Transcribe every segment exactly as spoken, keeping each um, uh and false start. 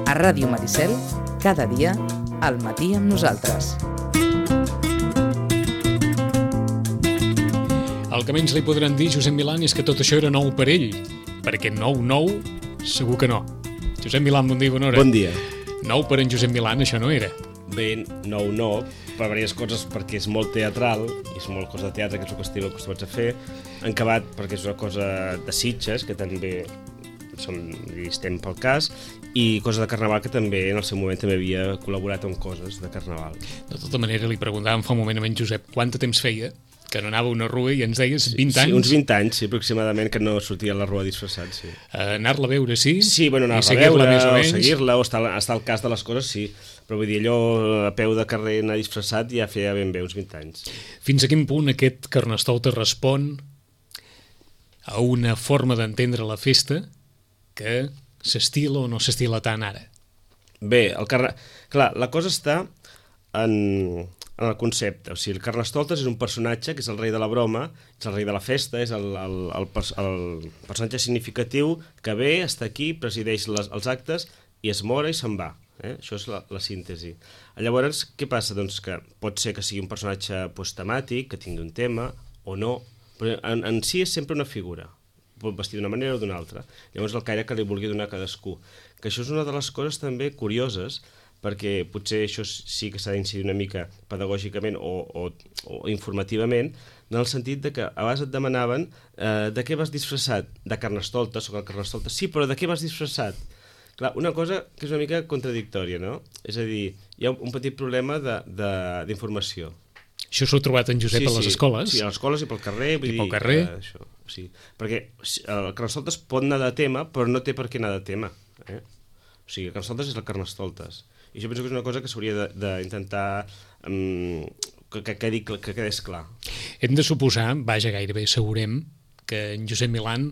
A Ràdio Maricel, cada dia, al matí amb nosaltres. El que menys li podran dir, Josep Milán, és que tot això era nou per ell, perquè nou, nou, segur que no. Josep Milán, bon dia, bona hora. Bon dia. Nou per en Josep Milán, això no era. Bé, nou no, per diverses coses, perquè és molt teatral, i és molt cosa de teatre, que és el que estic acostumats a fer. Encabat, perquè és una cosa de Sitges, que també som, estem pel cas, i cosa de Carnaval, que també en el seu moment també havia col·laborat en coses de Carnaval. De tota manera, li preguntàvem fa un moment a en Josep quant de temps feia que no anava a una rua i ens deies vint anys. Sí, uns vint anys, sí, aproximadament, que no sortia a la rua disfressat, sí. Uh, anar-la a veure, sí? Sí, bueno, anar-la a veure, més o, o seguir-la, o estar, estar al cas de les coses, sí. Però vull dir, allò a peu de carrer anar disfressat ja feia ben bé uns vint anys. Fins a quin punt aquest Carnestoltes respon a una forma d'entendre la festa que s'estila o no s'estila tant ara? Bé, el carna... clar, la cosa està en... en el concepte. O sigui, el Carnestoltes és un personatge que és el rei de la broma, és el rei de la festa, és el, el, el, el personatge significatiu que ve, està aquí, presideix les, els actes i es mora i se'n va. Eh? Això és la, la síntesi. Llavors, què passa? Doncs que pot ser que sigui un personatge pues, temàtic, que tingui un tema, o no, però en, en si és sempre una figura. Pot vestir d'una manera o d'una altra. Llavors, el caire que li vulgui donar a cadascú. Que això és una de les coses també curioses, perquè potser això sí que s'ha d'incidir una mica pedagògicament o, o, o informativament, en el sentit de que a vegades et demanaven eh, de què vas disfressat? De Carnestoltes, soc el Carnestoltes. Sí, però de què vas disfressat? Clar, una cosa que és una mica contradictòria, no? És a dir, hi ha un petit problema d'informació. Això s'ho ha trobat en Josep sí, a les sí, escoles? Sí, a les escoles i pel carrer. Vull I dir, pel carrer? Eh, això, sí. Perquè el Carnestoltes pot anar de tema, però no té per què anar de tema. Eh? O sigui, el Carnestoltes és el Carnestoltes. I jo penso que és una cosa que s'hauria d'intentar um, que, que, quedi, que quedés clar. Hem de suposar, vaja, gairebé assegurem, que en Josep Milán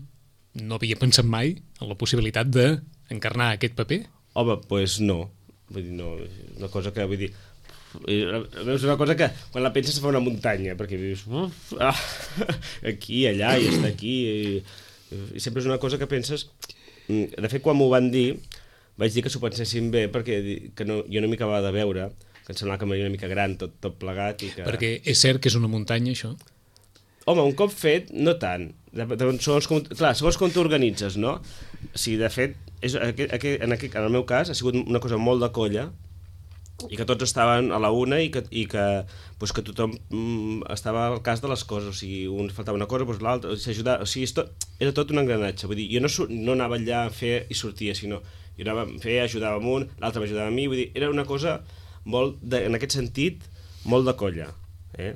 no havia pensat mai en la possibilitat d'encarnar aquest paper? Home, doncs pues no. Vull dir, no. Una cosa que, vull dir, és una cosa que quan la penses se fa una muntanya, perquè dius, ah, aquí, allà, i està aquí, i, i sempre és una cosa que penses... De fet, quan m'ho van dir, vaig dir que s'ho pensessin bé, perquè que no, jo no m'hi acabava de veure, que em semblava que m'aria una mica gran, tot, tot plegat. I que... Perquè és cert que és una muntanya, això? Home, un cop fet, no tant. De, de, segons com, clar, segons com t'organitzes, no? O sigui, de fet, és, aquest, aquest, en, aquest, en el meu cas, ha sigut una cosa molt de colla, i que tots estaven a la una i que, i que, pues, que tothom mm, estava al cas de les coses. O sigui, un faltava una cosa, doncs l'altre, o sigui, o sigui tot, era tot un engranatge. Vull dir, jo no, no anava allà a fer i sortia, sinó jo anava a fer, ajudava amb un, l'altre m'ajudava a mi, vull dir, era una cosa molt, de, en aquest sentit, molt de colla. Eh?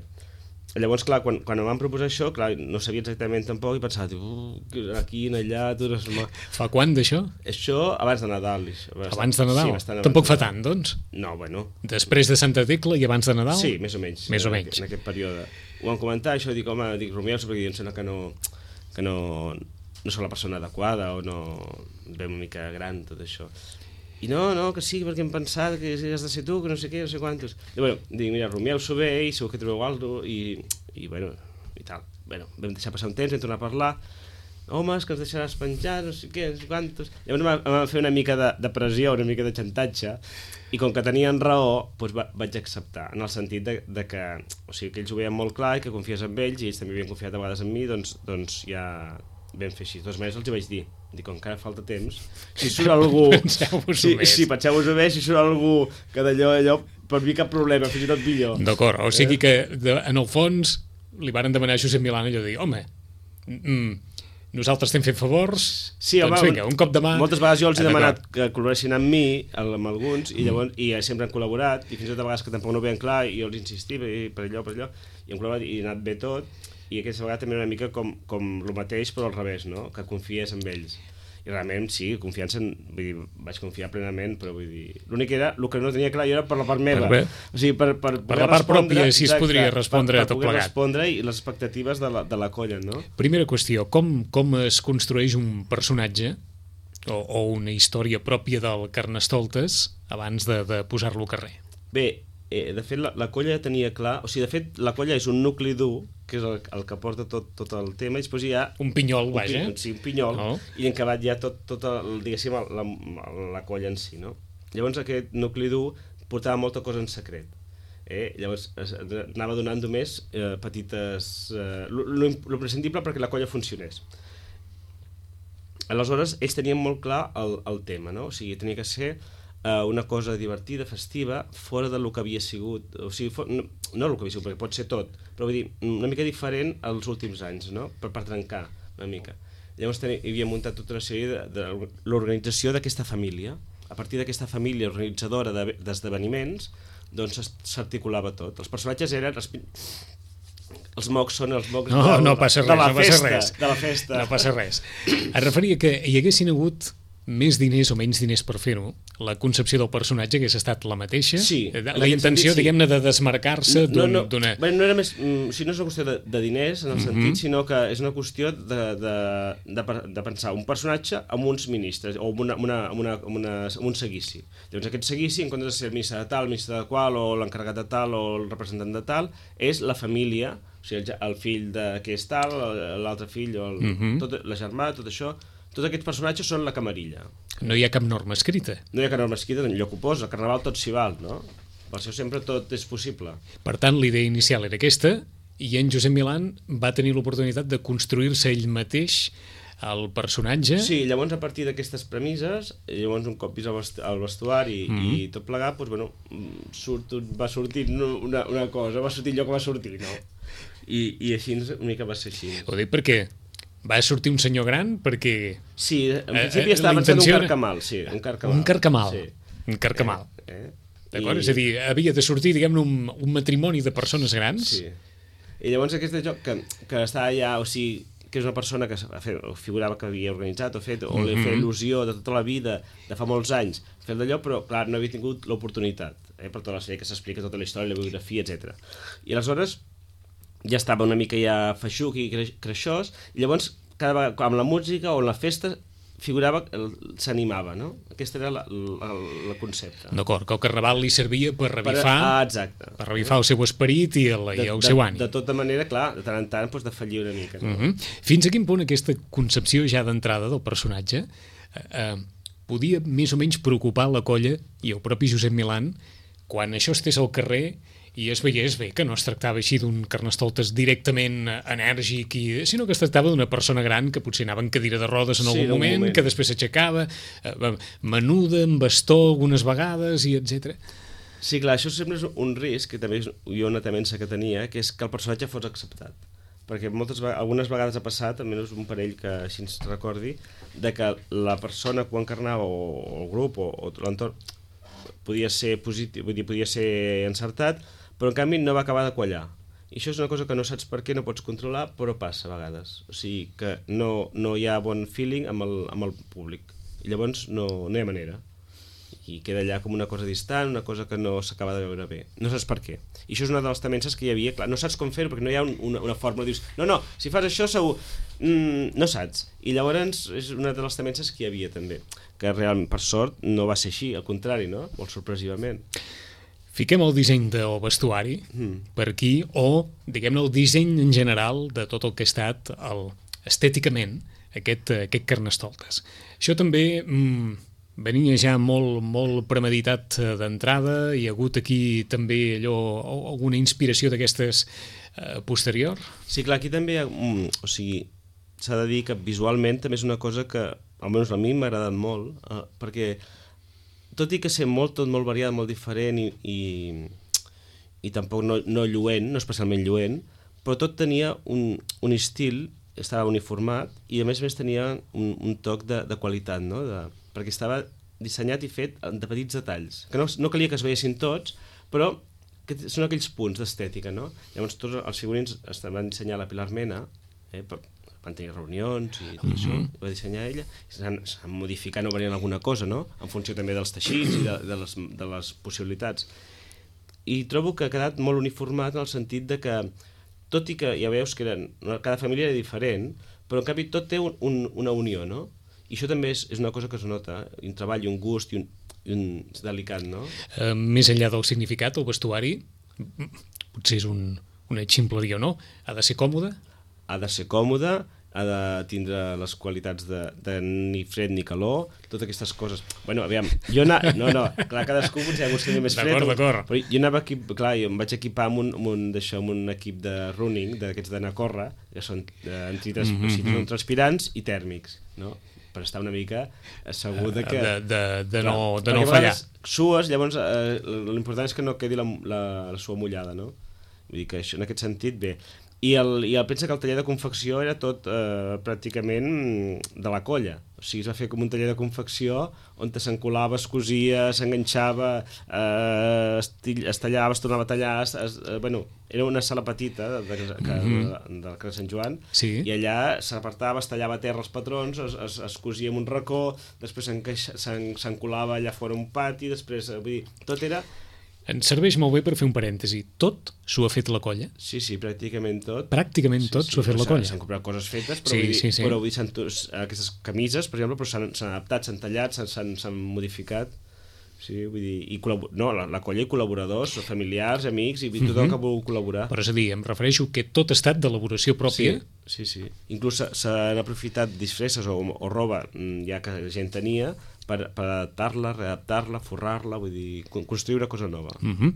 Llavors, clar, quan, quan em van proposar això, clar, no sabia exactament tampoc i pensava, uh, aquí, allà... Tu no sé... Fa quan d'això? Això abans de Nadal. Bastant, abans de Nadal? Sí, tampoc fa de tant, doncs? No, bueno... Després de Santa Tecla i abans de Nadal? Sí, més o menys. Més o en menys. En aquest període. Ho vam comentar, això, dic, home, dic, rumieu-se, perquè em sembla que no... que no... no soc la persona adequada o no ve una mica gran tot això. I no, no, que sí, perquè hem pensat que has de ser tu, que no sé què, no sé quantos. I bueno, dic, mira, rumieu-s'ho bé i segur que trobeu alguna cosa i, i bueno, i tal. Bueno, vam deixar passar un temps, vam tornar a parlar. Home, és que ens deixaràs penjar, no sé què, no sé quantos. Llavors em van fer una mica de, de pressió, una mica de xantatge, i com que tenien raó, doncs va, vaig acceptar, en el sentit de, de que, o sigui, que ells ho veien molt clar i que confies en ells, i ells també havien confiat a vegades en mi, doncs, doncs ja vam fer així. De totes maneres els hi vaig dir, dic, com encara falta temps, si surt algú... Penseu-vos-ho sí, més. Sí, penseu-vos-ho més, si surt algú que d'allò, allò, per mi cap problema, fins i tot millor. D'acord, o sigui que de, en el fons li varen demanar a Josep Milán allò de dir, home, mm, nosaltres estem fent favors, sí, doncs home, vinga, un cop de mà... Moltes vegades jo els he demanat que col·laboressin amb mi, amb alguns, i llavors i sempre han col·laborat, i fins i tot a vegades que tampoc no ho veien clar, i jo els insistia per allò, per allò, i han col·laborat, i ha anat bé tot, i aquesta vegada també una mica com, com el mateix, però al revés, no? Que confies en ells. I realment, sí, confiança, en, vull dir, vaig confiar plenament, però vull dir... L'únic era, el que no tenia clar jo era per la part meva. Per, o sigui, per, per, per la part pròpia, si es podria respondre per, a tot plegat. Per poder respondre i les expectatives de la, de la colla, no? Primera qüestió, com, com es construeix un personatge o, o una història pròpia del Carnestoltes abans de, de posar-lo al carrer? Bé, eh, de fet, la, la colla tenia clar... O sigui, de fet, la colla és un nucli dur, que és el, el que porta tot, tot el tema, i després hi ha... Un pinyol, un vaja. Pinyol, sí, un pinyol, oh. I en acabat hi ha tot, tot el, diguéssim, la, la, la colla en si, no? Llavors aquest nucli dur portava molta cosa en secret. Eh? Llavors es, anava donant només eh, petites... Eh, lo prescindible perquè la colla funcionés. Aleshores, ells tenien molt clar el, el tema, no? O sigui, tenia que ser eh, una cosa divertida, festiva, fora del que havia sigut. O sigui, for, no, no el que havia sigut, perquè pot ser tot, però vull dir, una mica diferent als últims anys, no? Per, per trencar una mica. Llavors tenia, hi havia muntat tota una sèrie de, de l'organització d'aquesta família. A partir d'aquesta família organitzadora d'esdeveniments, doncs s'articulava tot. Els personatges eren... Els, els mocs són els mocs no, de, no passa res, de, la no passa festa, res. de la festa. No passa res. Es referia que hi haguessin hagut més diners o menys diners per fer-ho, la concepció del personatge hagués estat la mateixa? Sí. La intenció, sentit, diguem-ne, de desmarcar-se no, no, d'una... Bé, no era més... O sigui, no és una qüestió de, de diners, en el mm-hmm. sentit, sinó que és una qüestió de, de, de, de pensar un personatge amb uns ministres, o amb, una, amb, una, amb, una, amb, una, amb un seguici. Llavors aquest seguici, en comptes de ser el ministre de tal, el ministre de qual, o l'encarregat de tal, o el representant de tal, és la família, o sigui, el, el fill de que és tal, l'altre fill, o el, mm-hmm. tot, la germà, tot això... Tots aquests personatges són la camarilla. No hi ha cap norma escrita. No hi ha cap norma escrita, enlloc ho posa. Al Carnaval tot s'hi val, no? Per això sempre tot és possible. Per tant, la idea inicial era aquesta, i en Josep Milán va tenir l'oportunitat de construir-se ell mateix el personatge. Sí, llavors a partir d'aquestes premisses, llavors un cop vist el vestuari mm-hmm. i tot plegat, doncs, bueno, surt, va sortir una, una cosa, va sortir allò que va sortir, no? I, i així una mica va ser així. Ho dic perquè va sortir un senyor gran perquè... Sí, en principi eh, estava pensant un carcamal, sí, un carcamal. Un carcamal, sí. Un carcamal. Eh, eh? D'acord? I... És a dir, havia de sortir, diguem-ne, un, un matrimoni de persones grans. Sí. I llavors aquest joc que, que està allà, o sigui, que és una persona que fet, o figurava que havia organitzat o fet, o mm-hmm. li feia il·lusió de tota la vida, de fa molts anys, fer d'allò, però clar, no havia tingut l'oportunitat, eh, per tota la sèrie que s'explica tota la història, la biografia, etcètera. I aleshores ja estava una mica ja feixuc i creixós, i llavors cada vegada, amb la música o la festa figurava, s'animava, no? Aquest era la, la, la concepte. D'acord, que el Carnaval li servia per revifar, per, ah, exacte. per revifar el seu esperit i el, de, i el de, seu ànim. De tota manera, clar, de tant en tant doncs, de fallir una mica. No? Uh-huh. Fins a quin punt aquesta concepció ja d'entrada del personatge eh, eh, podia més o menys preocupar la colla i el propi Josep Milán quan això estés al carrer i es veiés bé que no es tractava així d'un Carnestoltes directament enèrgic, i, sinó que es tractava d'una persona gran que potser anava en cadira de rodes en algun sí, moment, moment, que després s'aixecava, eh, menuda, amb bastó algunes vegades, i etcètera. Sí, clar, això sempre és un risc, que també és jo una temença que tenia, que és que el personatge fos acceptat. Perquè moltes, algunes vegades ha passat, almenys un parell que així ens recordi, de que la persona que ho encarnava, o el grup, o, o l'entorn, podia ser positiu, vull dir, podia ser encertat, però en canvi no va acabar de quallar. I això és una cosa que no saps per què, no pots controlar, però passa a vegades. O sigui que no, no hi ha bon feeling amb el, amb el públic. I llavors no, no hi ha manera. I queda allà com una cosa distant, una cosa que no s'acaba de veure bé. No saps per què. I això és una de les temences que hi havia. Clar, no saps com fer-ho perquè no hi ha un, una, una fórmula. Dius, no, no, si fas això segur... Mm, no saps. I llavors és una de les temences que hi havia també. Que realment, per sort, no va ser així. Al contrari, no? Molt sorpresivament. Fiquem el disseny del vestuari mm. per aquí, o, diguem-ne, el disseny en general de tot el que ha estat el, estèticament aquest, aquest Carnestoltes. Això també mm, venia ja molt, molt premeditat d'entrada, hi ha hagut aquí també allò, alguna inspiració d'aquestes eh, posterior? Sí, clar, aquí també hi ha, mm, o sigui, s'ha de dir que visualment també és una cosa que, almenys a mi m'ha agradat molt, eh, perquè tot i que ser molt, tot molt variat, molt diferent i, i, i tampoc no, no lluent, no especialment lluent, però tot tenia un, un estil, estava uniformat i a més a més tenia un, un toc de, de qualitat, no? De, perquè estava dissenyat i fet de petits detalls, que no, no calia que es veiessin tots, però que són aquells punts d'estètica, no? Llavors tots els figurins es van dissenyar a la Pilar Mena, eh, per, van tenir reunions i tot mm-hmm. això, ho va dissenyar ella, i s'han modificat o venint alguna cosa, no? En funció també dels teixits i de, de, les, de les possibilitats. I trobo que ha quedat molt uniformat en el sentit de que, tot i que ja veus que eren, cada família era diferent, però en canvi tot té un, un, una unió, no? I això també és, és una cosa que es nota, un treball i un gust i un, i un delicat, no? Uh, més enllà del significat, el vestuari, potser és un, una ximpleria o no, ha de ser còmode? Ha de ser còmode ha de tindre les qualitats de, de ni fred ni calor, totes aquestes coses. Bueno, aviam, jo anava... No, no, clar, cadascú potser ha gustat més fred. D'acord, d'acord. Però jo anava equip... Clar, jo em vaig equipar amb un, amb un, d'això, amb un equip de running, d'aquests d'anar a córrer, que són eh, antitrans... mm -hmm. transpirants i tèrmics, no? Per estar una mica assegut de que... De, de, de clar, no, de no fallar. Sues, llavors eh, l'important és que no quedi la, la, la sua mullada, no? Vull dir que això, en aquest sentit, bé. I el, i el pensa que el taller de confecció era tot eh, pràcticament de la colla. O sigui, es va fer com un taller de confecció on s'encolava, es cosia, s'enganxava, eh, es, es tallava, es tornava a tallar... Es, es, eh, bueno, era una sala petita de, de, de, de, del carrer Sant Joan, sí. I allà s'apartava, es tallava a terra els patrons, es, es, es cosia en un racó, després s'encolava allà fora un pati, després, vull dir, tot era... Ens serveix molt bé per fer un parèntesi. Tot s'ho ha fet la colla? Sí, sí, pràcticament tot. Pràcticament tot sí, s'ho sí, ha fet la colla. S'han comprat coses fetes, però, sí, vull dir, sí, sí. però vull dir, aquestes camises, per exemple, s'han adaptat, s'han tallat, s'han modificat. Sí, vull dir, i no, la, la colla i col·laboradors, familiars, amics, i tothom uh -huh. que vol col·laborar. Però és a dir, em refereixo que tot ha estat d'elaboració pròpia. Sí, sí, sí. Inclús s'han aprofitat disfresses o, o roba ja que la gent tenia per, per adaptar-la, readaptar-la, forrar-la, vull dir, construir una cosa nova. Uh -huh.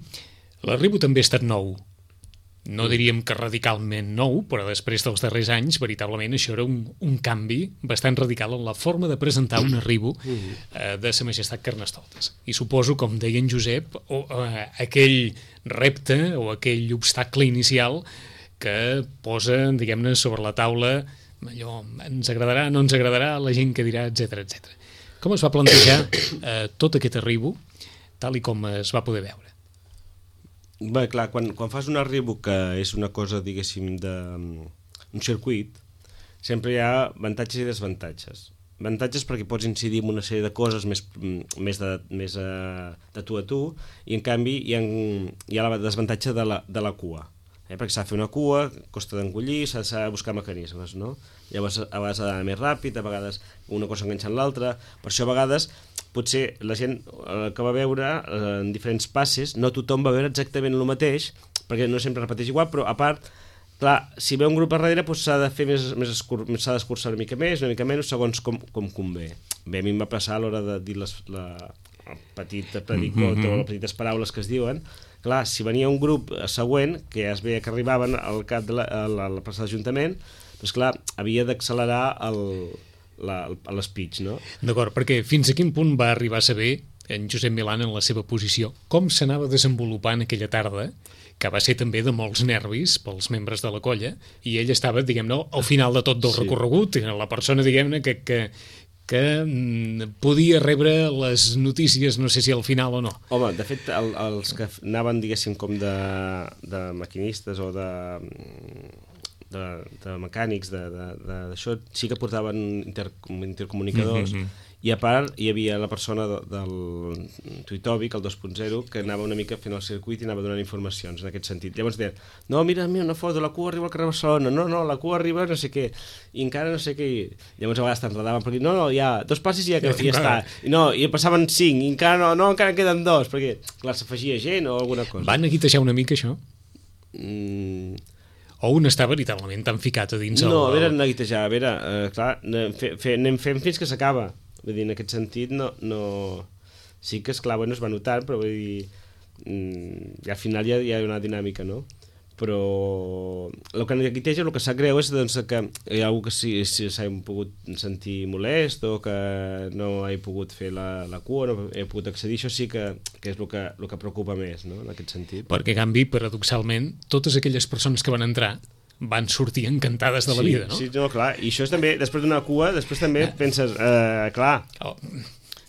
L'arribo també ha estat nou. No diríem que radicalment nou, però després dels darrers anys, veritablement, això era un, un canvi bastant radical en la forma de presentar un arribo eh, de Sa Majestat Carnestoltes. I suposo, com deia en Josep, o, eh, aquell repte o aquell obstacle inicial que posa, diguem-ne, sobre la taula allò, ens agradarà, no ens agradarà, la gent que dirà, etcètera, etcètera. Com es va plantejar eh, tot aquest arribo, tal i com es va poder veure? Bé, clar, quan, quan fas un arribo que és una cosa, diguéssim, d'un circuit, sempre hi ha avantatges i desavantatges. Avantatges perquè pots incidir en una sèrie de coses més, més, de, més uh, de tu a tu, i en canvi hi ha, hi ha la desavantatge de la, de la cua. Eh? Perquè s'ha de fer una cua, costa d'engollir, s'ha de buscar mecanismes, no? Llavors a vegades ha d'anar més ràpid, a vegades una cosa enganxa en l'altra, per això a vegades potser la gent eh, que va veure eh, en diferents passes, no tothom va veure exactament el mateix, perquè no sempre repeteix igual, però a part, clar, si ve un grup a darrere doncs s'ha de fer més, més escur, s'ha d'escurçar una mica més, una mica menys, segons com, com convé. Bé, a mi em va passar a l'hora de dir les, la, el petit predicot mm -hmm. o les petites paraules que es diuen. Clar, si venia un grup següent, que ja es veia que arribaven al cap de la, a la, a la plaça d'Ajuntament, doncs clar, havia d'accelerar l'espeech, no? D'acord, perquè fins a quin punt va arribar a saber en Josep Milán en la seva posició? Com s'anava desenvolupant aquella tarda, que va ser també de molts nervis pels membres de la colla, i ell estava, diguem-ne, al final de tot del sí. recorregut, la persona, diguem-ne, que, que, que mm, podia rebre les notícies, no sé si al final o no. Home, de fet, el, els que anaven, diguéssim, com de, de maquinistes o de... De, de mecànics d'això, sí que portaven inter, intercomunicadors mm -hmm. i a part hi havia la persona de, del Tuitòbic, el dos punt zero, que anava una mica fent el circuit i anava donant informacions en aquest sentit. Llavors deien, no, mira, mira una foto, la cua arriba al carrer Barcelona, no, no, la cua arriba no sé què, i encara no sé què, i llavors a vegades t'enredaven perquè no, no, ja, dos passis i ja, que, ja està, i no, i passaven cinc, i encara no, no, encara queden dos, perquè, clar, s'afegia gent o alguna cosa. Van aguitejar una mica això? Mm... O un està veritablement tan ficat a dins el... No, a veure, el... neguitejar, a veure, uh, clar, anem, fe, fe, anem fent fins que s'acaba. Vull dir, en aquest sentit, no, no... Sí que, esclar, bueno, es va notar, però vull dir, mm, al final hi ha, hi ha una dinàmica, no? Però el que neguiteja, el que sap greu és doncs, que hi ha algú que sí, sí s'ha pogut sentir molest o que no he pogut fer la, la cua, no he pogut accedir, això sí que, que és el que, el que preocupa més, no?, en aquest sentit. Perquè, en canvi, paradoxalment, totes aquelles persones que van entrar van sortir encantades de la sí, vida, no? Sí, no, clar, i això és també, després d'una cua, després també penses, eh, clar... Oh.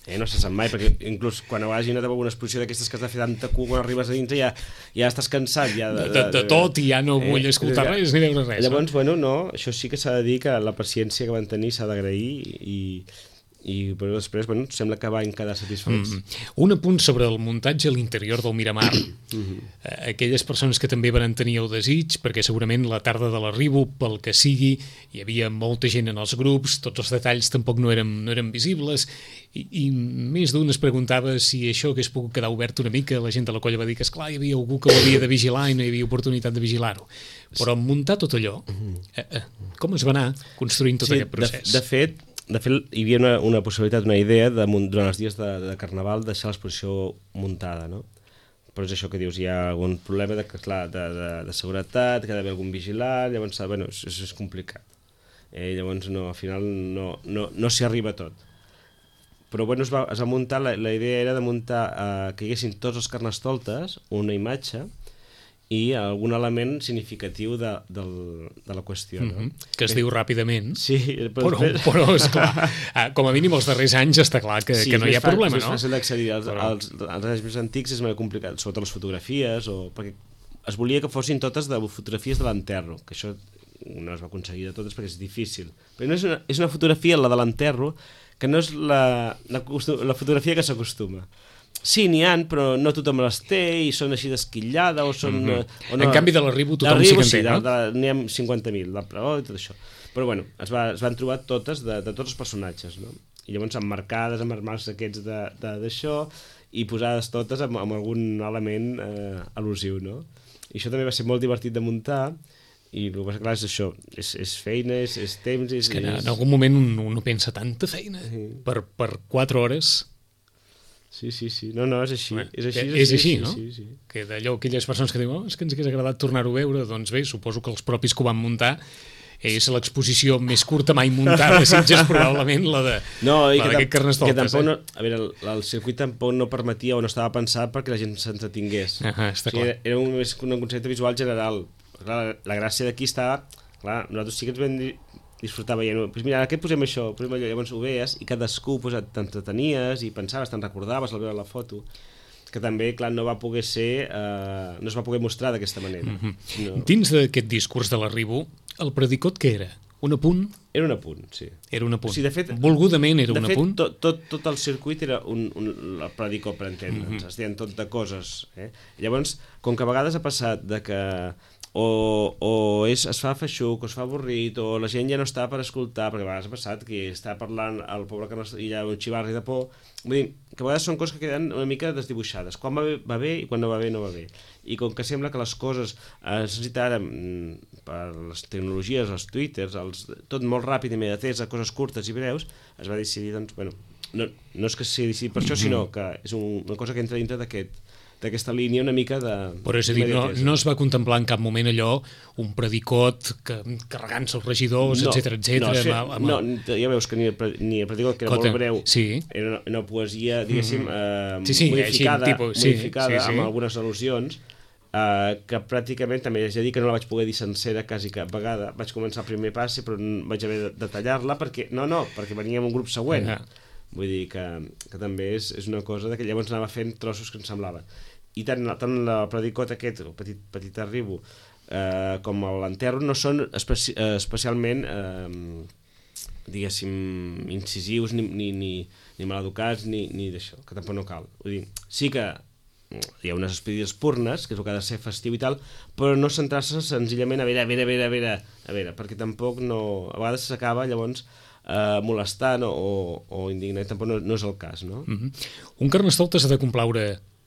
Eh, no se sap mai, perquè inclús quan hagi anat a alguna exposició d'aquestes que has de fer tanta cua, quan arribes a dintre ja, ja estàs cansat ja de, de, de, de tot i ja no vull eh, escoltar res ni veure res. Llavors, no? bueno, no, això sí que s'ha de dir que la paciència que van tenir s'ha d'agrair i, i però després bueno, sembla que van quedar satisfets. Mm. Un apunt sobre el muntatge a l'interior del Miramar. Mm-hmm. Aquelles persones que també van tenir el desig, perquè segurament la tarda de l'arribo, pel que sigui, hi havia molta gent en els grups, tots els detalls tampoc no eren, no eren visibles, i, i més d'un es preguntava si això hagués pogut quedar obert una mica. La gent de la colla va dir que, esclar, hi havia algú que ho havia de vigilar i no hi havia oportunitat de vigilar-ho. Però muntar tot allò, eh, eh, com es va anar construint tot sí, aquest procés? De, de fet, De fet, hi havia una, una possibilitat, una idea, de, durant els dies de, de Carnaval, deixar l'exposició muntada, no? Però és això que dius, hi ha algun problema de, clar, de, de, de seguretat, que ha d'haver algun vigilant, llavors, bueno, és, és complicat. Eh, llavors, no, al final, no, no, no s'hi arriba a tot. Però, bueno, es va, es va muntar, la, la idea era de muntar, eh, que hi haguessin tots els carnestoltes, una imatge, i algun element significatiu de, del, de la qüestió. No? Mm-hmm. Que es diu ràpidament, sí, però, però, però esclar, com a mínim els darrers anys està clar que, sí, que no hi ha fa, problema, no? Sí, és fàcil d'accedir. Els, però... els, els anys més antics és molt complicat, sobretot les fotografies, o, perquè es volia que fossin totes de fotografies de l'enterro, que això no es va aconseguir de totes perquè és difícil. Però no és una, és una fotografia, la de l'enterro, que no és la, la, la fotografia que s'acostuma. Sí, n'hi ha, però no tothom les té i són així d'esquillada o són... Mm-hmm. o no, en canvi de l'arribo tothom sí que en té, sí, no? N'hi ha cinquanta mil, la preó i tot això. Però bueno, es, va, es van trobar totes de, de tots els personatges, no? I llavors emmarcades amb els marcs aquests d'això i posades totes amb, amb algun element eh, al·lusiu, no? I això també va ser molt divertit de muntar i el que passa, clar, és això, és, és feina, és, és temps... És, és que en, és... en algun moment un, un pensa tanta feina sí. per, per quatre hores... Sí, sí, sí. No, no, és així. Bé, és així, és així, sí, no? Sí, sí, sí. Que d'allò, aquelles persones que diuen oh, és que ens hagués agradat tornar-ho a veure, doncs bé, suposo que els propis que ho van muntar és l'exposició més curta mai muntada de Sitges, probablement la de no, i la d'aquest Carnestoltes. Que tampoc eh? no, a veure, el, el circuit tampoc no permetia o no estava pensat perquè la gent s'entretingués. Ah, està o sigui, clar. Era, era un, un concepte visual general. Clar, la, la gràcia d'aquí estava... Clar, nosaltres sí que ens vam disfrutar veient, pues mira, ara què posem això? Posem allò, llavors ho veies i cadascú pues, t'entretenies i pensaves, te'n recordaves al veure la foto, que també, clar, no va poder ser, eh, no es va poder mostrar d'aquesta manera. Mm-hmm. sinó... Dins d'aquest discurs de l'arribo, el predicot què era? Un apunt? Era un apunt, sí. Era un apunt. O sigui, de fet, volgudament era de un fet, apunt? Tot, tot, tot el circuit era un, un, el predicot, per entendre'ns. Mm-hmm. Es deien tot de coses. Eh? Llavors, com que a vegades ha passat de que o, o és, es fa feixuc, o es fa avorrit, o la gent ja no està per escoltar, perquè a vegades ha passat que està parlant el pobre que no hi ha un xivarri de por. Vull dir, que a vegades són coses que queden una mica desdibuixades. Quan va bé, va bé, i quan no va bé, no va bé. I com que sembla que les coses eh, es necessita ara per les tecnologies, els twitters, els, tot molt ràpid i immediatesa, coses curtes i breus, es va decidir, doncs, bueno, no, no és que sigui decidit per això, sinó que és un, una cosa que entra dintre d'aquest d'aquesta línia una mica de... Però és a dir, no, no es va contemplar en cap moment allò, un predicot que, carregant-se els regidors, no, etcètera, etcètera. No, sí, amb, amb... no, ja veus que ni el, ni el predicot, que era Cota, molt breu, sí. era una, una poesia, diguéssim, eh, sí, sí, modificada, així, tipus, sí, modificada sí, sí. amb algunes al·lusions, eh, que pràcticament, també haig de dir que no la vaig poder dir sencera quasi cap vegada. Vaig començar el primer passe, però vaig haver de tallar-la, perquè, no, no, perquè venia amb un grup següent. Ja. Vull dir que, que també és, és una cosa de que llavors anava fent trossos que em semblava. I tant, tant el predicot aquest, el petit, petit arribo, eh, com l'enterro, no són especi especialment, eh, diguéssim, incisius, ni, ni, ni, ni maleducats, ni, ni d'això, que tampoc no cal. Vull dir, sí que hi ha unes expedides purnes, que és el que ha de ser festiu i tal, però no centrar-se senzillament a veure, a veure, a veure, a veure, a veure, perquè tampoc no... A vegades s'acaba, llavors, eh, molestant o, o indignant, tampoc no, no és el cas, no? Mm-hmm. Un carnestoltes ha de complaure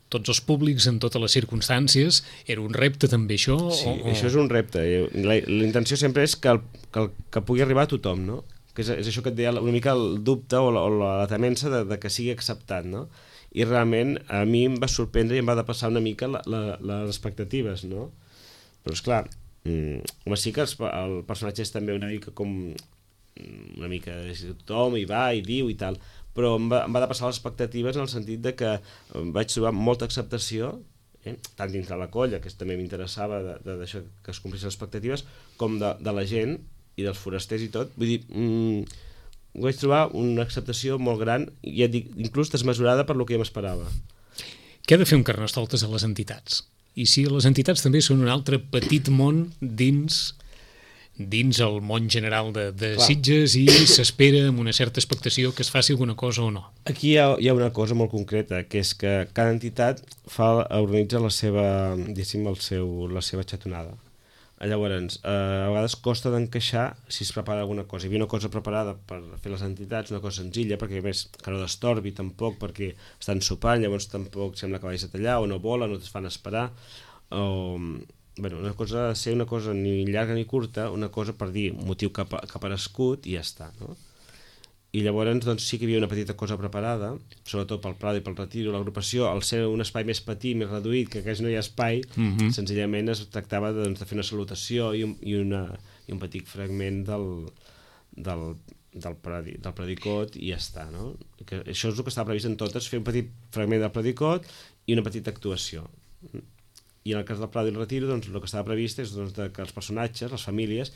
tots els públics en totes les circumstàncies. Era un repte també això? Sí, o, o... això és un repte. La, la intenció sempre és que, el, que, el, que pugui arribar a tothom, no? Que és, és això que et deia una mica el dubte o la, o la temença de, de que sigui acceptat, no? I realment a mi em va sorprendre i em va depassar una mica la, la, les expectatives, no? Però esclar, mm, home, sí que els, el personatge és també una mica com una mica tothom hi va i diu i tal, però em va, em va depassar les expectatives en el sentit de que vaig trobar molta acceptació, eh? tant dintre la colla, que també m'interessava de, de, de que es complissin les expectatives, com de, de la gent i dels forasters i tot. Vull dir, mm, vaig trobar una acceptació molt gran, i ja dic, inclús desmesurada per lo que jo m'esperava. Què ha de fer un carnestoltes a les entitats? I si les entitats també són un altre petit món dins dins el món general de, de Clar. Sitges i s'espera amb una certa expectació que es faci alguna cosa o no. Aquí hi ha, hi ha una cosa molt concreta, que és que cada entitat fa, organitza la seva, diguéssim, el seu, la seva xatonada. Llavors, eh, a vegades costa d'encaixar si es prepara alguna cosa. Hi havia una cosa preparada per fer les entitats, una cosa senzilla, perquè a més que no destorbi tampoc, perquè estan sopant, llavors tampoc sembla que vagis a tallar, o no volen, o es fan esperar, o... Bueno, una cosa ha de ser una cosa ni llarga ni curta, una cosa per dir motiu que ha aparegut i ja està, no? I llavors doncs, sí que hi havia una petita cosa preparada, sobretot pel Prado i pel Retiro, l'agrupació, al ser un espai més petit, més reduït, que quasi no hi ha espai, mm-hmm. senzillament es tractava doncs, de fer una salutació i un, i una, i un petit fragment del, del, del, predi, del predicot i ja està, no? Que això és el que estava previst en totes, fer un petit fragment del predicot i una petita actuació. I en el cas del Prado i el Retiro, doncs, el que estava previst és doncs, que els personatges, les famílies,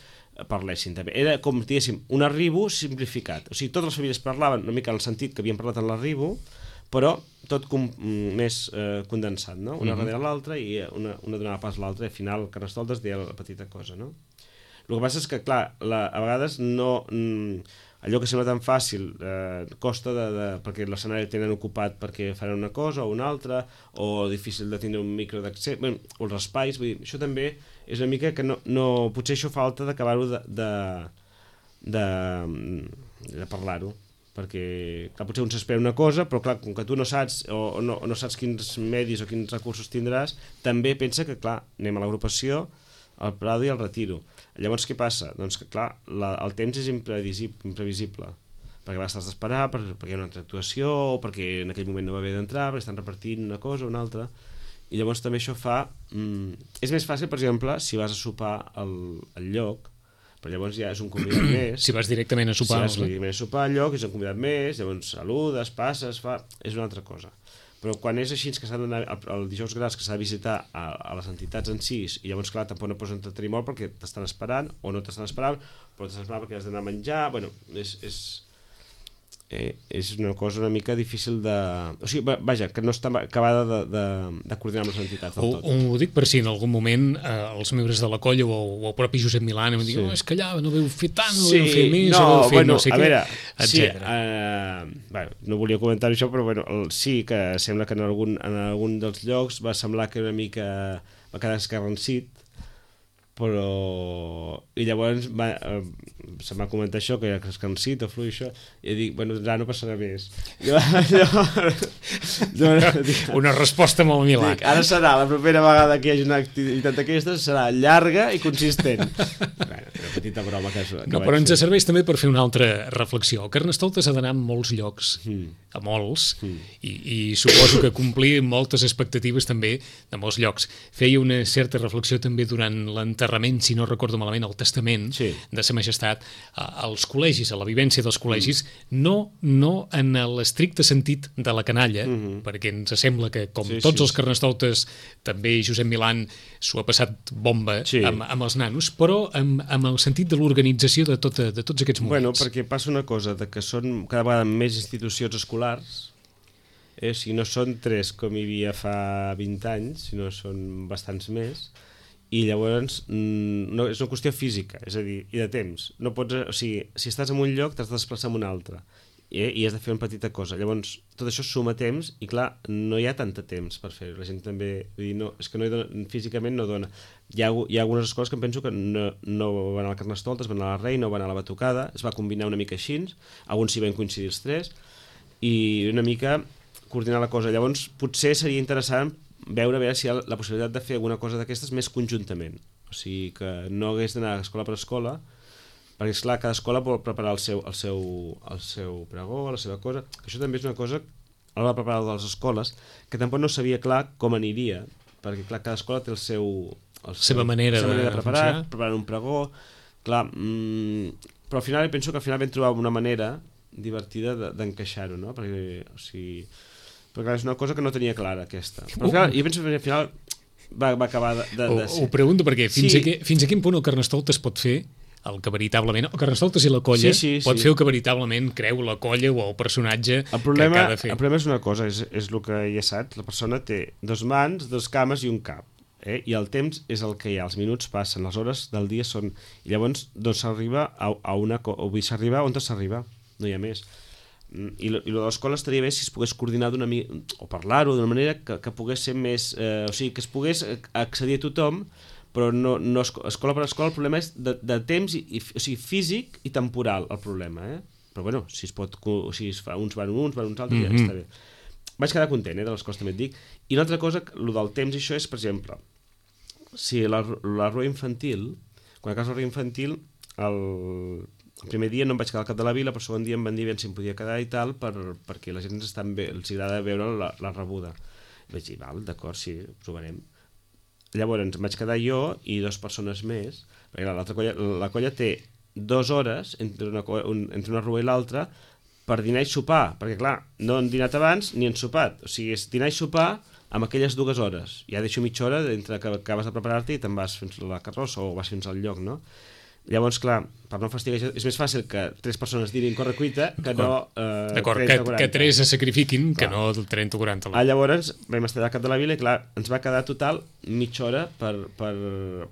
parlessin també. Era com, diguéssim, un arribo simplificat. O sigui, totes les famílies parlaven una mica en el sentit que havien parlat en l'arribo, però tot com, més eh, condensat, no? Una mm-hmm. darrere l'altra i una, una donava pas a l'altra i al final Carnestoltes deia la petita cosa, no? El que passa és que, clar, la, a vegades no... Mm, allò que sembla tan fàcil eh, costa de, de, perquè l'escenari el tenen ocupat perquè faran una cosa o una altra, o difícil de tindre un micro d'accés, bueno, o els espais, vull dir, això també és una mica que no, no potser això falta d'acabar-ho de, de, de, de parlar-ho, perquè clar, potser un s'espera una cosa, però clar, com que tu no saps o, o, no, o no saps quins medis o quins recursos tindràs, també pensa que clar, anem a l'agrupació, al Prado i al Retiro. Llavors què passa? Doncs que clar, la, el temps és imprevisible, perquè vas estàs d'esperar, per, perquè hi ha una altra actuació, o perquè en aquell moment no va haver d'entrar, perquè estan repartint una cosa o una altra, i llavors també això fa... Mm, és més fàcil, per exemple, si vas a sopar al, al lloc, però llavors ja és un convidat més. Si vas directament a sopar. Si vas directament a sopar al lloc, és un convidat més, llavors saludes, passes, fa... és una altra cosa. Però quan és així que s'ha d'anar el dijous gras, que s'ha de visitar a, a les entitats en si, i llavors clar, tampoc no pots entretenir molt perquè t'estan esperant o no t'estan esperant, però t'estan esperant perquè has d'anar a menjar, bueno, és, és, eh, és una cosa una mica difícil de... O sigui, vaja, que no està acabada de, de, de coordinar amb les entitats del tot. Ho, ho dic per si en algun moment eh, els membres de la colla o, o el propi Josep Milán em diuen, sí. oh, és que allà no veu fer tant, no sí, veu fer més, no, no veu fer bueno, no sé a què, veure, etcètera. Sí, uh, bueno, no volia comentar això, però bueno, el, sí que sembla que en algun, en algun dels llocs va semblar que una mica va quedar escarransit, però... I llavors va, eh, se'm va comentar això, que era escarransit o fluix, això, i dic, bueno, ja no passarà més. Jo, jo, jo, dic, una resposta molt Milà. Dic, ara serà, la propera vegada que hi hagi una activitat d'aquestes, serà llarga i consistent. Bueno, una petita broma que, que no, però ens serveix també per fer una altra reflexió. Carnestoltes ha d'anar a molts llocs, mm. a molts, mm. i, i suposo que complir moltes expectatives també de molts llocs. Feia una certa reflexió també durant l'enterrament, si no recordo malament, el testament sí. de Sa Majestat, als col·legis, a la vivència dels col·legis, mm. no, no en l'estricte sentit de la canalla, mm-hmm. perquè ens sembla que, com sí, tots sí. els carnestoltes, també Josep Milán s'ho ha passat bomba sí. amb, amb els nanos, però amb, amb el sentit de l'organització de, tota, de tots aquests moments. Bueno, perquè passa una cosa, de que són cada vegada més institucions escolars, eh? Si no són tres com hi havia fa vint anys, sinó són bastants més, i llavors no, és una qüestió física, és a dir, i de temps. No pots, o sigui, si estàs en un lloc t'has de desplaçar en un altre i, i has de fer una petita cosa. Llavors tot això suma temps i clar, no hi ha tant de temps per fer-ho. La gent també, vull dir, no, és que no hi dona, físicament no dona. Hi ha, hi ha algunes escoles que em penso que no, no van a la Carnestoltes, van a la Reina o van a la Batucada, es va combinar una mica així, alguns s'hi van coincidir els tres, i una mica coordinar la cosa. Llavors potser seria interessant veure, veure si hi ha la possibilitat de fer alguna cosa d'aquestes més conjuntament, o sigui que no hagués d'anar escola per escola, perquè esclar, cada escola vol preparar el seu, el seu, el seu pregó, la seva cosa, que això també és una cosa a l'hora de preparar de les escoles, que tampoc no sabia clar com aniria, perquè clar, cada escola té el seu, el seu seva manera, seva manera de, de preparar, funcionar. preparar un pregó, clar, mmm, però al final penso que al final vam trobar una manera divertida d'encaixar-ho, no? Perquè, o sigui, perquè és una cosa que no tenia clara, aquesta. Però al final, jo penso que al final va, va acabar de, de, de ser. Ho, ho pregunto perquè fins, sí. a que, fins a quin punt el Carnestoltes pot fer el que veritablement... El Carnestoltes i la colla sí, sí, pot sí. fer el que veritablement creu la colla o el personatge el problema, que ha de fer. El problema és una cosa, és, és el que ja saps, la persona té dos mans, dos cames i un cap. eh? I el temps és el que hi ha, els minuts passen, les hores del dia són... I llavors doncs s'arriba a, a una... o vull s'arriba on s'arriba, no hi ha més. I lo, i lo de l'escola estaria bé si es pogués coordinar d'una mica, o parlar-ho d'una manera que, que pogués ser més... Eh, o sigui, que es pogués accedir a tothom, però no, no escola per escola, el problema és de, de temps, i, i, o sigui, físic i temporal, el problema, eh? Però bueno, si es pot... O sigui, es fa, uns van uns, van uns altres, mm-hmm. ja està bé. Vaig quedar content, eh, de les coses també et dic. I una altra cosa, el del temps, això és, per exemple, si la, la rua infantil, quan acabes la rua infantil, el, el primer dia no em vaig quedar al cap de la vila, però el segon dia em van dir ben si em podia quedar i tal, per, perquè la gent estan bé, els agrada veure la, la rebuda. I vaig dir, val, d'acord, sí, ho provarem. Llavors em vaig quedar jo i dues persones més, perquè l'altra colla, la colla té dues hores entre una, un, entre una rua i l'altra, per dinar i sopar, perquè clar, no han dinat abans ni han sopat, o sigui, és dinar i sopar amb aquelles dues hores. Ja deixo mitja hora entre que acabes de preparar-te i te'n vas fins a la carrossa o vas fins al lloc, no? Llavors, clar, per no fastiguejar, és més fàcil que tres persones dinin correcuita que no eh, D'acord, que, que tres es sacrifiquin, clar, que no trenta o quaranta. Ah, llavors vam estar al cap de la vila i clar, ens va quedar total mitja hora per, per,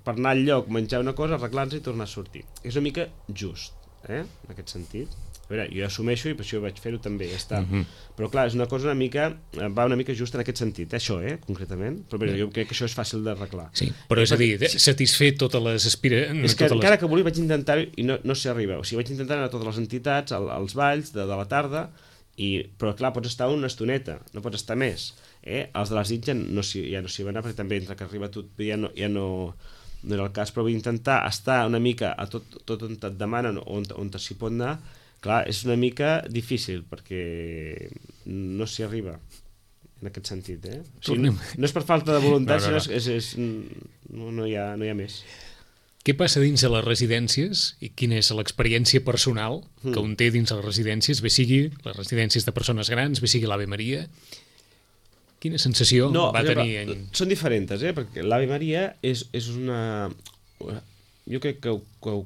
per anar al lloc, menjar una cosa, arreglar-nos i tornar a sortir. És una mica just, eh? En aquest sentit. A veure, jo assumeixo i per això vaig fer-ho també, ja està. Mm-hmm. Però clar, és una cosa una mica, va una mica just en aquest sentit, eh? Això, eh, concretament. Però bé, jo crec que això és fàcil d'arreglar. Sí, però és a dir, satisfer totes les aspiracions... És que les... encara que volia vaig intentar-ho i no, no s'hi arriba. O sigui, vaig intentar anar a totes les entitats, al, als balls de, de la tarda, i, però clar, pots estar una estoneta, no pots estar més. Eh? Els de les Sitges no ja no s'hi va anar, perquè també entre que arriba tot ja no... Ja no no era el cas, però vull intentar estar una mica a tot, tot on et demanen, on, on s'hi pot anar. Clar, és una mica difícil perquè no s'hi arriba en aquest sentit, eh? O sigui, no, no és per falta de voluntat, no, no, no. sinó és, és, no, no, hi ha, no hi ha més. Què passa dins de les residències i quina és l'experiència personal que mm. un té dins de les residències, bé sigui les residències de persones grans, bé sigui l'Ave Maria? Quina sensació no, va exemple, tenir? En... Són diferents, eh? Perquè l'Ave Maria és, és una... Jo crec que, que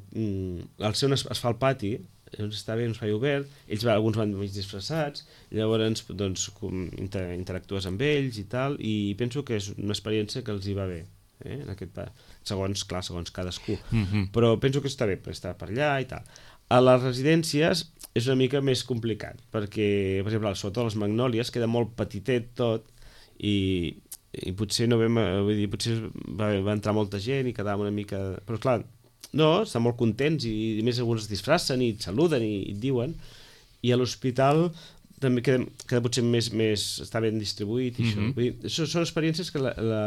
al ser on es, es fa el pati, doncs està bé, un espai obert, ells alguns van mig disfressats, llavors doncs, inter, interactues amb ells i tal, i penso que és una experiència que els hi va bé, eh? En aquest pa... segons, clar, segons cadascú. Mm-hmm. Però penso que està bé per estar per allà i tal. A les residències és una mica més complicat, perquè, per exemple, sobretot a les Magnòlies queda molt petitet tot, i, i potser no vam, vull dir, potser va, va entrar molta gent i quedàvem una mica... Però clar, no, estan molt contents i, i més alguns es disfressen i et saluden i, i et diuen, i a l'hospital també queda, queda potser més, més està ben distribuït i mm-hmm. això. Vull dir, són, són experiències que la, la,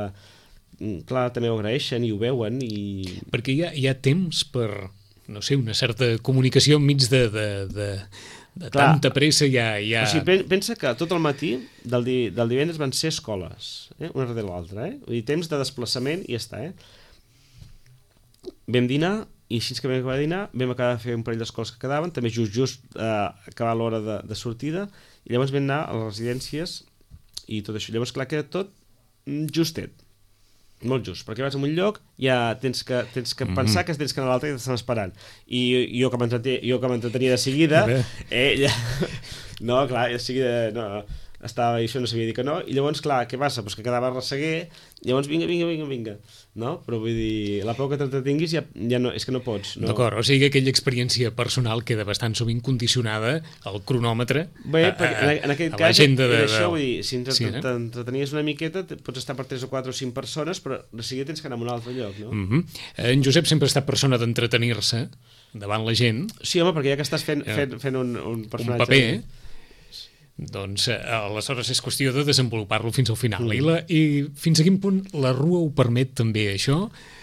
clar, també ho agraeixen i ho veuen i... Perquè hi ha, hi ha temps per, no sé, una certa comunicació enmig de... de, de... de clar, tanta pressa ja... ja... O sigui, pensa que tot el matí del, di, del divendres van ser escoles, eh? Una darrere l'altra, eh? Vull dir, temps de desplaçament i ja està, eh? Vam dinar, i així que vam acabar de dinar, vam acabar de fer un parell d'escoles que quedaven, també just, just eh, acabar l'hora de, de sortida, i llavors vam anar a les residències i tot això. Llavors, clar, queda tot justet. Molt just, perquè vas a un lloc, ja tens que, tens que mm-hmm. pensar que tens que anar a l'altre i t'estan esperant. I jo que m'entretenia de seguida, eh, ja... no, clar, de seguida no, estava, i això no sabia dir que no, i llavors, clar, què passa? Pues que quedava a resseguer, llavors vinga, vinga, vinga, vinga, no? Però vull dir, la por que t'entretinguis ja, ja no, és que no pots. No? D'acord, o sigui que aquella experiència personal queda bastant sovint condicionada al cronòmetre, bé, a, a, en aquest a cas, l'agenda de... Això, vull dir, si sí, t'entretenies una miqueta, pots estar per tres o quatre o cinc persones, però de seguida tens que anar a un altre lloc, no? Mm-hmm. En Josep sempre ha estat persona d'entretenir-se davant la gent. Sí, home, perquè ja que estàs fent, fent, fent un, un personatge... Un paper, eh? Doncs eh, aleshores és qüestió de desenvolupar-lo fins al final. Mm. I, la, I fins a quin punt la rua ho permet també, això?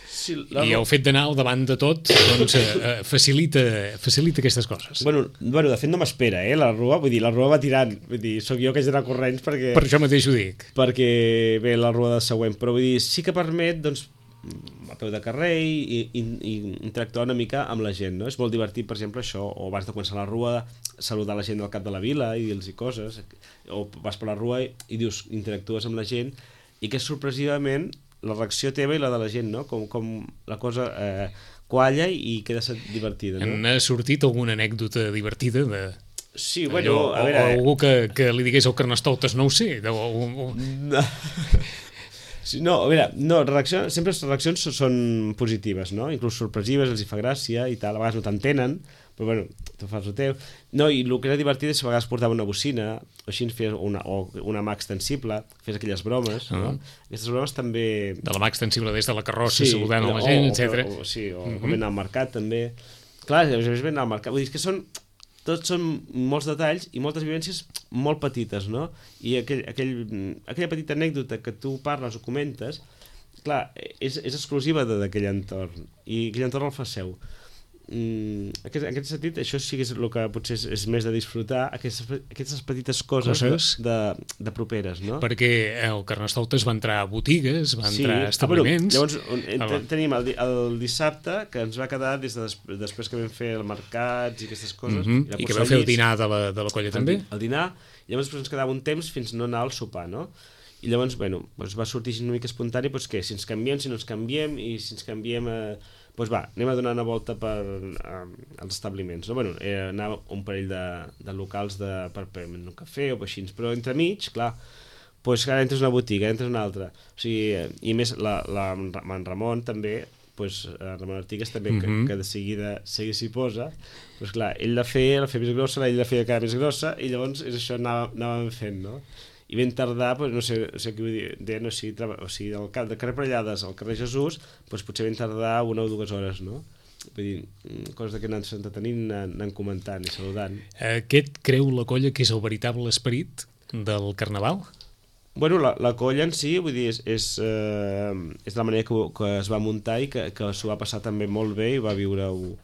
Sí, la... I el fet d'anar al davant de tot doncs, eh, facilita, facilita aquestes coses. Bueno, bueno, de fet no m'espera, eh, la rua. Vull dir, la rua va tirant. Vull dir, soc jo que haig d'anar corrents perquè... Per això mateix ho dic. Perquè ve la rua de següent. Però vull dir, sí que permet, doncs, a peu de carrer i, i, i interactuar una mica amb la gent, no? És molt divertit, per exemple, això, o abans de començar la rua, saludar la gent del cap de la vila i dir-los coses, o vas per la rua i, i dius, interactues amb la gent, i que sorpresivament la reacció teva i la de la gent, no? Com, com la cosa eh, qualla i queda divertida, no? N'ha sortit alguna anècdota divertida de... Sí, bueno, allò, a veure... O, o algú que, que li digués al Carnestoltes, no ho sé, o... o... No. Sí, no, a veure, no, reaccions, sempre les reaccions són positives, no? Inclús sorpresives, els hi fa gràcia i tal, a vegades no t'entenen, però bueno, tu fas el teu. No, i el que era divertit és que a vegades portava una bocina, o així fes una, o una mà extensible, fes aquelles bromes, uh -huh. no? Aquestes bromes també... De la mà extensible des de la carrossa, sí, saludant a la gent, etcètera. O, o, sí, o uh -huh. com anar al mercat també. Clar, a més ben al mercat, vull dir, que són... Tots són molts detalls i moltes vivències molt petites, no? I aquell, aquell, aquella petita anècdota que tu parles o comentes, clar, és, és exclusiva d'aquell entorn, i aquell entorn el fa seu. Mm, aquest, en aquest sentit, això sí que és el que potser és, és més de disfrutar, aquestes, aquestes petites coses, coses? De, de, de properes, no? Perquè el Carnestoltes va entrar a botigues, va entrar sí. a establiments... Ah, bueno, llavors, en, tenim el, el dissabte, que ens va quedar des de des, després que vam fer el mercats i aquestes coses... Mm -hmm. I, I que vau fer el dinar de la, de la colla, el, també? El dinar, i llavors ens quedava un temps fins no anar al sopar, no? I llavors, bueno, doncs va sortir una mica espontani, doncs què, si ens canviem, si no ens canviem, i si ens canviem... Eh, doncs va, anem a donar una volta per eh, als establiments, no? Bueno, eh, anar un parell de, de locals de, per prendre un cafè o així, però entremig, clar, doncs ara entres a una botiga, entres a una altra, o sigui, eh, i més la, la, en Ramon també, doncs, Ramon Artigas també, mm -hmm. que, que de seguida s'hi posa, doncs clar, ell la feia, la feia més grossa, ell la feia cada més grossa, i llavors és això, anàvem, anàvem fent, no? I ben tardar, doncs, no sé, no sé què vull dir, no, o sigui, o sigui del cap de carrer Parellades al carrer Jesús, doncs potser ben tardar una o dues hores, no? Vull dir, coses que anant s'entretenint, anant comentant i saludant. Aquest creu la colla que és el veritable esperit del Carnaval? Bueno, la, la colla en si, vull dir, és, és, eh, és la manera que, que es va muntar i que, que s'ho va passar també molt bé i va viure-ho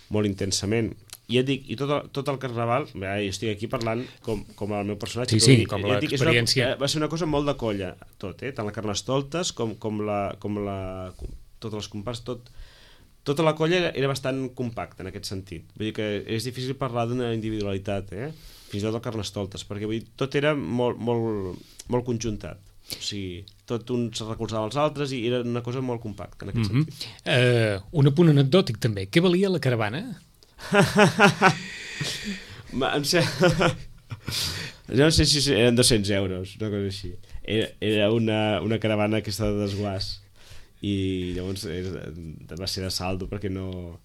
molt intensament. I et dic, i tot el, tot el Carnaval, bé, jo estic aquí parlant com, com el meu personatge. Sí, sí, dic, com l'experiència. Va ser una cosa molt de colla, tot, eh? Tant la Carnestoltes com, com la... Com la com, totes les comparses, tot... Tota la colla era, era bastant compacta en aquest sentit. Vull dir que és difícil parlar d'una individualitat, eh? Fins i tot el Carnestoltes, perquè vull dir, tot era molt, molt, molt conjuntat. O sigui, tot un se recolzava als altres i era una cosa molt compacta en aquest mm-hmm. sentit. Uh, un apunt anecdòtic també. Què valia la caravana? em sé... no sé si eren dos-cents euros, una cosa així. Era, era una, una caravana aquesta de desguàs i llavors era, va ser de saldo perquè no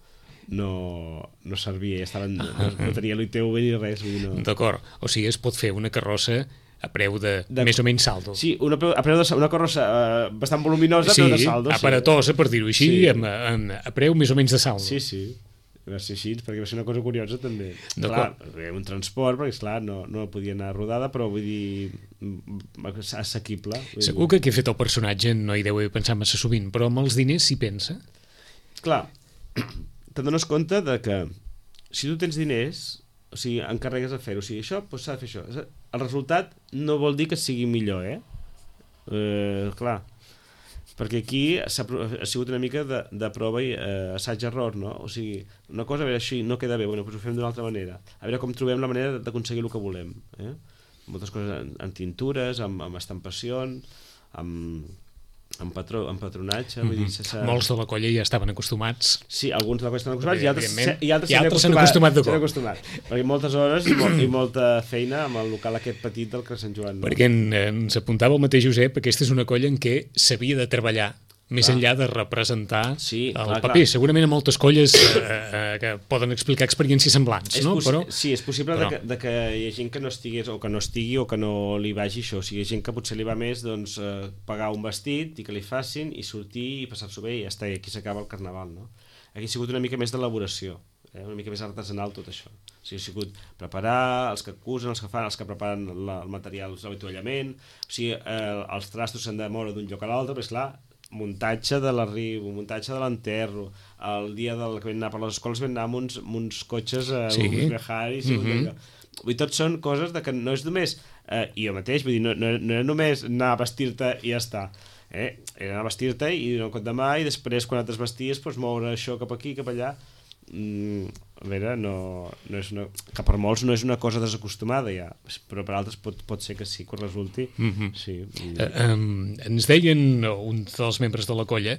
no, no servia, estaven, no, no tenia l'I T V ni res. No. D'acord, o sigui, es pot fer una carrossa a preu de, de més o menys saldo. Sí, una, a preu de, una carrossa uh, bastant voluminosa, sí, a preu de saldo. Sí, aparatosa, per dir-ho així, sí. amb, amb, a preu més o menys de saldo. Sí, sí. Va ser així, perquè va ser una cosa curiosa també. Clar, un transport, perquè esclar, no, no podia anar rodada, però vull dir assequible. Vull Segur dir. que qui ha fet el personatge no hi deu haver pensat massa sovint, però amb els diners s'hi pensa? Clar, t'adones compte de que si tu tens diners, o sigui, encarregues a fer-ho, o sigui, això, doncs s'ha de fer això. El resultat no vol dir que sigui millor, eh? eh clar, perquè aquí ha, ha sigut una mica de, de prova i eh, assaig-error, no? O sigui, una cosa, a veure, així no queda bé, bueno, doncs ho fem d'una altra manera. A veure com trobem la manera d'aconseguir el que volem. Eh? Moltes coses en, en tintures, amb, amb estampacions, amb, amb, patró, amb patronatge. Mm-hmm. Vull dir, sense... Molts de la colla ja estaven acostumats. Sí, alguns de la colla estaven acostumats i altres, i altres, I altres s'han acostumat de cop. Acostumat, perquè moltes hores i, molt, i molta feina amb el local aquest petit del Carrer Sant Joan. No? Perquè en, ens apuntava el mateix Josep, aquesta és una colla en què s'havia de treballar més clar. Enllà de representar sí, el clar, paper. Clar. Segurament hi ha moltes colles eh, eh, que poden explicar experiències semblants, no? Però, sí, és possible però... de, que, de que hi ha gent que no estigués o que no estigui o que no li vagi això. O sigui, hi ha gent que potser li va més doncs, eh, pagar un vestit i que li facin i sortir i passar-s'ho bé i ja està, i aquí s'acaba el Carnaval, no? Aquí ha sigut una mica més d'elaboració, eh? Una mica més artesanal tot això. O sigui, ha sigut preparar, els que acusen, els que fan, els que preparen la, el material, l'avituallament, o sigui, eh, els trastos s'han de moure d'un lloc a l'altre, però esclar, muntatge de l'arribo, muntatge de l'enterro, el dia del que vam anar per les escoles vam anar amb uns, amb uns cotxes a sí. uns bejaris, mm -hmm. vull dir, tot són coses de que no és només eh, i jo mateix, vull dir, no, no, no era només anar a vestir-te i ja està, eh? Era anar a vestir-te i donar un cop de mà i després quan et desvesties doncs, moure això cap aquí, cap allà. Mm, a veure, no, no és una, que per molts no és una cosa desacostumada ja, però per altres pot, pot ser que sí, que resulti. Mm-hmm. Sí. Uh, um, ens deien un dels membres de la colla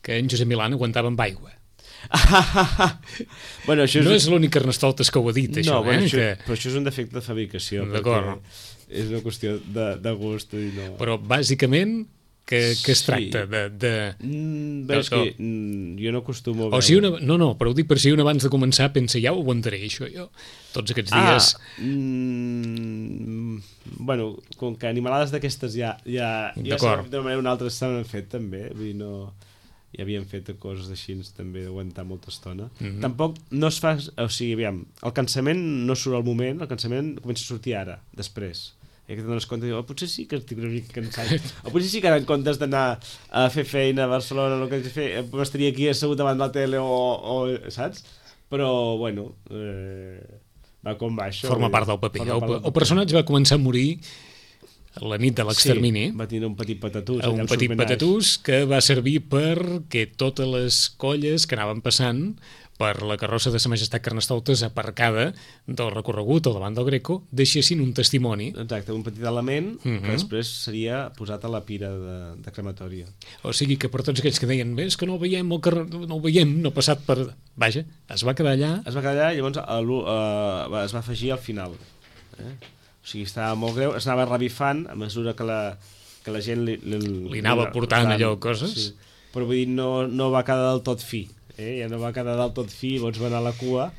que en Josep Milán aguantava amb aigua. Bueno, això és... No és l'únic Carnestoltes que ho ha dit, això. No, bueno, eh? això, que... però això és un defecte de fabricació. D'acord. És una qüestió de, de gust. I no... Però bàsicament que, que es Sí. tracta de... de... Mm, bé, és No, que mm, jo no acostumo a O veure... si una... No, no, però ho dic per si un abans de començar pensa, ja ho aguantaré, això, jo. Tots aquests dies... Ah, mm, bueno, com que animalades d'aquestes ja... ja, ja D'acord. d'una manera o una altra s'han fet també, vull dir, no... Ja havien fet coses així també d'aguantar molta estona. Mhm. Tampoc no es fa... O sigui, aviam, el cansament no surt al moment, el cansament comença a sortir ara, després. I que te dones compte i dius, oh, potser sí que estic una mica cansat. O potser sí que ara en comptes d'anar a fer feina a Barcelona, el que haig de fer, m'estaria aquí assegut davant de la tele o... o saps? Però, bueno... Eh, va com va això. Forma part del paper. Forma El, part del el paper. personatge va començar a morir la nit de l'extermini. Sí, va tenir un petit patatús. Un petit patatús que va servir perquè totes les colles que anaven passant per la carrossa de Sa Majestat Carnestoltes aparcada del recorregut o davant del Greco deixessin un testimoni. Exacte, un petit element uh -huh. Mhm. que després seria posat a la pira de, de crematòria. O sigui que per tots aquells que deien bé, és que no el veiem, el carrer, no el veiem, no ha passat per... Vaja, es va quedar allà. Es va quedar allà i llavors a l'u- uh, es va afegir al final. Eh? O sigui, estava molt greu, es anava revifant a mesura que la, que la gent li, li, Li anava portant allò, coses. Sí. Però vull dir, no, no va quedar del tot fi. Eh? Ja no va quedar del tot fi, llavors va anar a la cua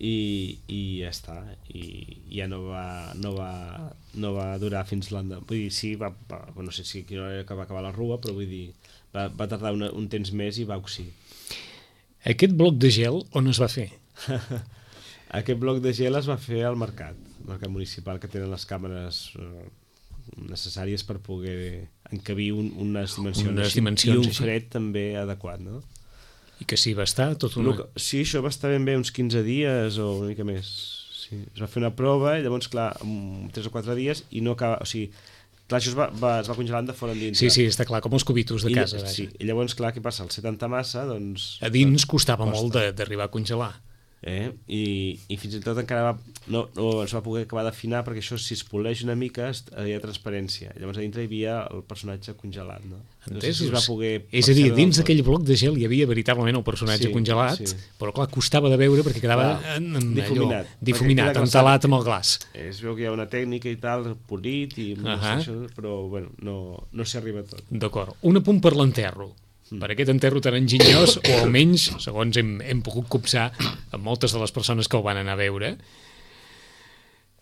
i, i ja està. I ja no va, no va, no va durar fins l'endemà. Vull dir, sí, va, va, no sé si quina hora que va acabar la rua, però vull dir, va, va tardar una, un temps més i va oxir. Aquest bloc de gel on es va fer? Aquest bloc de gel es va fer al mercat, al mercat municipal, que tenen les càmeres eh, necessàries per poder encabir un, unes dimensions, Unes així, dimensions i un així. fred també adequat, no? I que s'hi va estar tot una... No, que- sí, això va estar ben bé uns quinze dies o una mica més. Sí. Es va fer una prova i llavors, clar, en tres o quatre dies i no acaba... O sigui, clar, això es va, va, es va congelant de fora endins. Sí, sí, està clar, com els cubitos de I, casa. Vaja. sí, i llavors, clar, què passa? El setanta massa, doncs... A dins costava Costa. molt de- d'arribar a congelar. Eh? I, i fins i tot encara va, no, no es va poder acabar d'afinar perquè això si es poleix una mica es- hi ha transparència, llavors a dintre hi havia el personatge congelat, no? No sé si es va poder És a dir, percebre dins del tot. d'aquell bloc de gel hi havia veritablement el personatge Sí, congelat, sí. però clar, costava de veure perquè quedava Clar, en, en difuminat. allò, Perquè difuminat, queda entelat amb el glaç. Es veu que hi ha una tècnica i tal, polit i no sé Ahà. això, però bueno, no, no s'hi arriba a tot. D'acord. Un apunt per l'enterro. Mm. Per aquest enterro tan enginyós, o almenys, segons hem, hem pogut copsar amb moltes de les persones que el van anar a veure,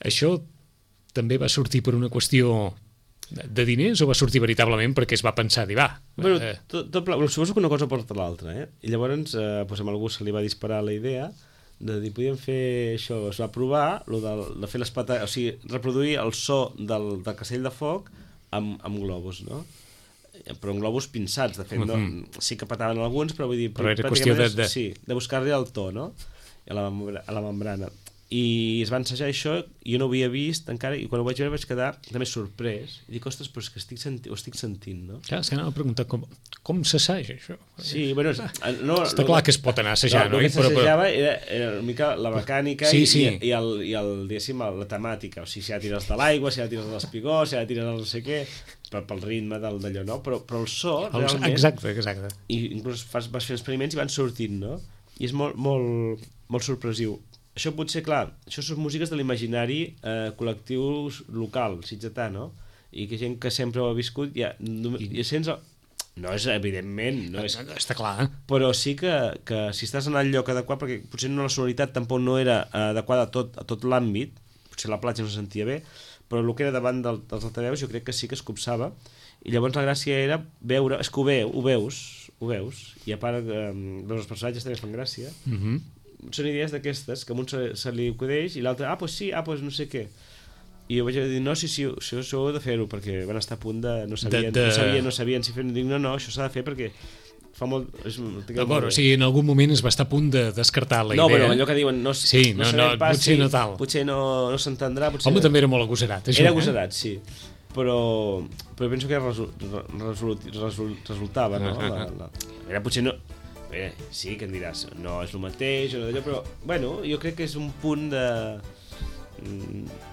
això també va sortir per una qüestió de, de diners o va sortir veritablement perquè es va pensar dir, va... Bueno, eh, tot, tot, pla- suposo que una cosa porta l'altra, eh? I llavors, eh, doncs, amb algú se li va disparar la idea de dir, podíem fer això, es va provar lo de, de fer les pata... o sigui, reproduir el so del, del castell de foc amb, amb globus, no? Però amb globus pinçats, de fet, no? Mhm. Sí que pataven alguns, però vull dir... Però era pràcticament qüestió de- és- de- Sí, de buscar-li el to, no? A la, membra- a la membrana. I es va ensejar això, i jo no ho havia vist encara, i quan ho vaig veure vaig quedar també sorprès. I dic, ostres, però és que estic senti ho estic sentint, no? clar, és que anava a preguntar com, com s'assaja això. Sí, bueno, és- no, Està no, clar que es pot anar a assajar, no? El que Però- però- s'assajava era, era una mica la mecànica Sí, i, sí. i, i, el, i el, diguéssim, la temàtica. O sigui, si ha tires de l'aigua, si ha tires de l'espigó, si ha tires del no sé què, pel, pel ritme del d'allò, no? Però, però el so, El- realment... Exacte, exacte. I inclús fas, vas fent experiments i van sortint, no? I és molt, molt, molt sorpresiu. Això potser, clar, això són músiques de l'imaginari eh, col·lectiu local, sitgetà, no? I que gent que sempre ho ha viscut, ja, no, I- i sents... El... No és, evidentment, no és... Està clar. Però sí que, que si estàs en el lloc adequat, perquè potser no la sonoritat tampoc no era adequada a tot, a tot l'àmbit, potser la platja no se sentia bé, però el que era davant del, dels altaveus jo crec que sí que es copsava, i llavors la gràcia era veure, és que ho, veu, ho veus, ho veus, i a part eh, veus els personatges també fan gràcia, Uh -huh. són idees d'aquestes, que a un se, se li acudeix i l'altre, ah, doncs pues sí, ah, doncs pues no sé què. I jo vaig dir, no, sí, sí, això, això heu de fer-ho, perquè van estar a punt de... No sabien, De- de- no sabien, no sabien si fer-ho. Dic, no, no, això s'ha de fer perquè fa molt... És, D'acord, o sigui, en algun moment es va estar a punt de descartar la no, idea. però allò que diuen... No, Sí, no, sabem no, pas potser si- no tal. Potser no, no s'entendrà. Potser Home, no. també era molt agosarat, això. Era eh? agosarat, sí. Però, però penso que resu, resol, resol, resultava, no? La, la... Era potser no... Bé, sí, que em diràs, no és el mateix, o no d'allò, però, bueno, jo crec que és un punt de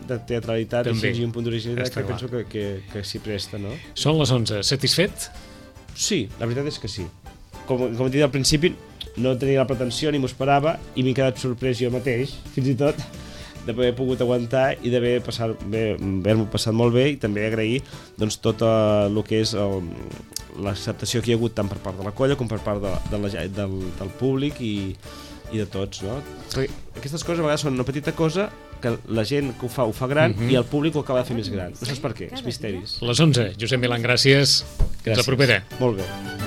de teatralitat També. i un punt d'originalitat Està que clar. penso que, que, que s'hi presta, no? Són les onze. Satisfet? Sí, la veritat és que sí. Com, com he dit al principi, no tenia la pretensió ni m'ho esperava i m'he quedat sorprès jo mateix, fins i tot, d'haver pogut aguantar i d'haver passar, haver-m'ho passat molt bé, i també agrair doncs, tot el que és el, l'acceptació que hi ha hagut tant per part de la colla com per part de, de la, del, del públic i, i de tots, no? Perquè aquestes coses a vegades són una petita cosa que la gent que ho fa ho fa gran mm-hmm. i el públic ho acaba de fer més gran. No saps per què, els misteris. Les onze, Josep Milán, gràcies. Gràcies. Fins la propera. Molt bé.